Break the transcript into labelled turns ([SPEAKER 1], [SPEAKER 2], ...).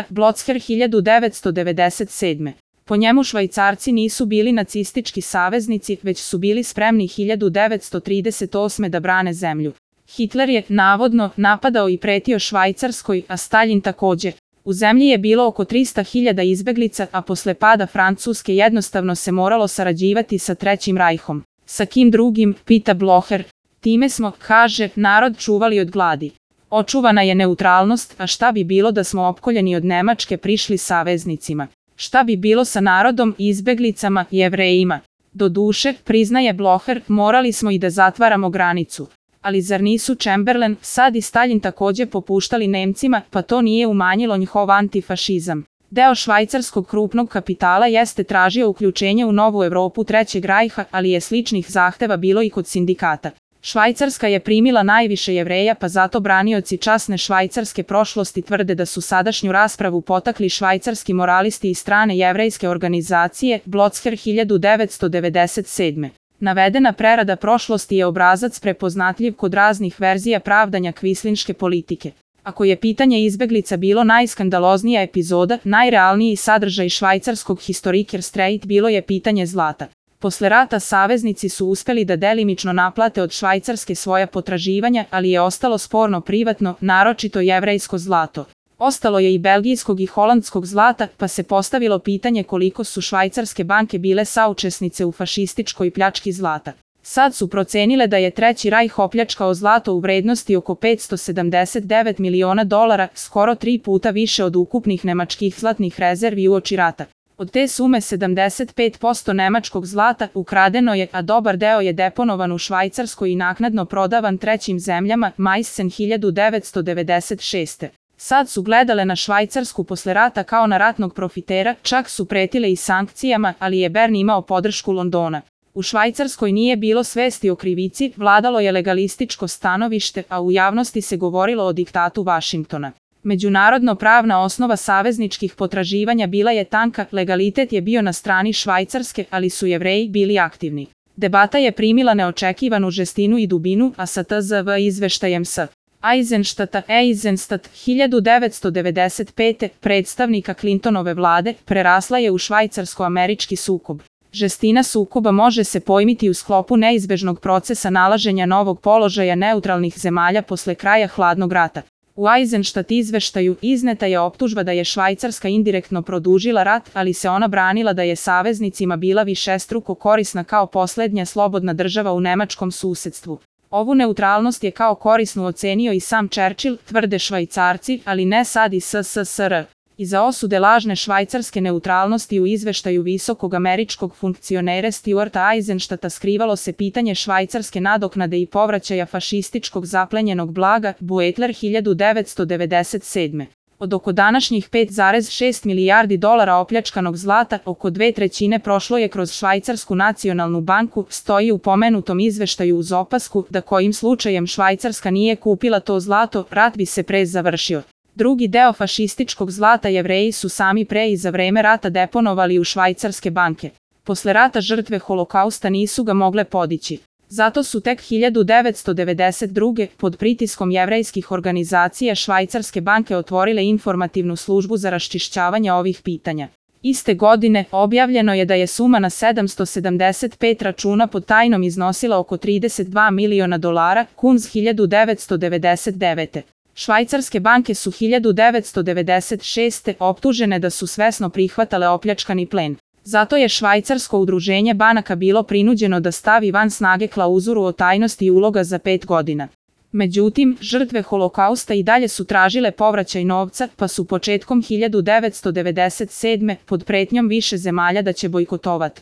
[SPEAKER 1] Blocker 1997. Po njemu Švajcarci nisu bili nacistički saveznici, već su bili spremni 1938. da brane zemlju. Hitler je, navodno, napadao i pretio Švajcarskoj, a Staljin takođe. U zemlji je bilo oko 300.000 izbeglica, a posle pada Francuske jednostavno se moralo sarađivati sa Trećim rajhom. Sa kim drugim, pita Blocher. Time smo, kaže, narod čuvali od gladi. Očuvana je neutralnost, a šta bi bilo da smo opkoljeni od Nemačke prišli saveznicima? Šta bi bilo sa narodom, izbeglicama, Jevrejima? Doduše, priznaje Blocher, morali smo i da zatvaramo granicu. Ali zar nisu Chamberlain, Sad i Staljin takođe popuštali Nemcima, pa to nije umanjilo njihov antifašizam? Deo švajcarskog krupnog kapitala jeste tražio uključenje u novu Evropu Trećeg rajha, ali je sličnih zahteva bilo i kod sindikata. Švajcarska je primila najviše Jevreja, pa zato branioci časne švajcarske prošlosti tvrde da su sadašnju raspravu potakli švajcarski moralisti i strane jevrejske organizacije, Blocker 1997. Navedena prerada prošlosti je obrazac prepoznatljiv kod raznih verzija pravdanja kvislinške politike. Ako je pitanje izbeglica bilo najskandaloznija epizoda, najrealniji sadržaj švajcarskog Historiker Streit bilo je pitanje zlata. Posle rata saveznici su uspeli da delimično naplate od Švajcarske svoja potraživanja, ali je ostalo sporno privatno, naročito jevrejsko zlato. Ostalo je i belgijskog i holandskog zlata, pa se postavilo pitanje koliko su švajcarske banke bile saučesnice u fašističkoj pljački zlata. Sad su procenile da je Treći rajh opljačkao zlato u vrednosti oko $579 miliona, skoro 3 puta više od ukupnih nemačkih zlatnih rezervi uoči rata. Od te sume 75% nemačkog zlata ukradeno je, a dobar deo je deponovan u Švajcarskoj i naknadno prodavan trećim zemljama, Meissen 1996. Sad su gledale na Švajcarsku posle rata kao na ratnog profitera, čak su pretile i sankcijama, ali je Bern imao podršku Londona. U Švajcarskoj nije bilo svesti o krivici, vladalo je legalističko stanovište, a u javnosti se govorilo o diktatu Vašingtona. Međunarodno pravna osnova savezničkih potraživanja bila je tanka, legalitet je bio na strani Švajcarske, ali su Jevreji bili aktivni. Debata je primila neočekivanu žestinu i dubinu, a sa TZV izveštajem s. Eisenstadta 1995. predstavnika Clintonove vlade, prerasla je u švajcarsko-američki sukob. Žestina sukoba može se pojmiti u sklopu neizbežnog procesa nalaženja novog položaja neutralnih zemalja posle kraja hladnog rata. U Eisenstadt izveštaju izneta je optužba da je Švajcarska indirektno produžila rat, ali se ona branila da je saveznicima bila višestruko korisna kao poslednja slobodna država u nemačkom susedstvu. Ovu neutralnost je kao korisnu ocenio i sam Churchill, tvrde Švajcarci, ali ne sad i SSSR. Iza osude lažne švajcarske neutralnosti u izveštaju visokog američkog funkcionera Stuarta Eisenstadta skrivalo se pitanje švajcarske nadoknade i povraćaja fašističkog zaplenjenog blaga, Beutler 1997. Od oko današnjih 5,6 milijardi dolara opljačkanog zlata, oko 2/3 prošlo je kroz Švajcarsku nacionalnu banku, stoji u pomenutom izveštaju uz opasku da kojim slučajem Švajcarska nije kupila to zlato, rat bi se pre završio. Drugi deo fašističkog zlata Jevreji su sami pre i za vreme rata deponovali u švajcarske banke. Posle rata žrtve holokausta nisu ga mogle podići. Zato su tek 1992. pod pritiskom jevrejskih organizacija švajcarske banke otvorile informativnu službu za raščišćavanje ovih pitanja. Iste godine objavljeno je da je suma na 775 računa pod tajnom iznosila oko $32 miliona, Kunz 1999. Švajcarske banke su 1996. optužene da su svesno prihvatale opljačkani plen. Zato je Švajcarsko udruženje banaka bilo prinuđeno da stavi van snage klauzuru o tajnosti uloga za 5 godina. Međutim, žrtve holokausta i dalje su tražile povraćaj novca, pa su početkom 1997. pod pretnjom više zemalja da će bojkotovati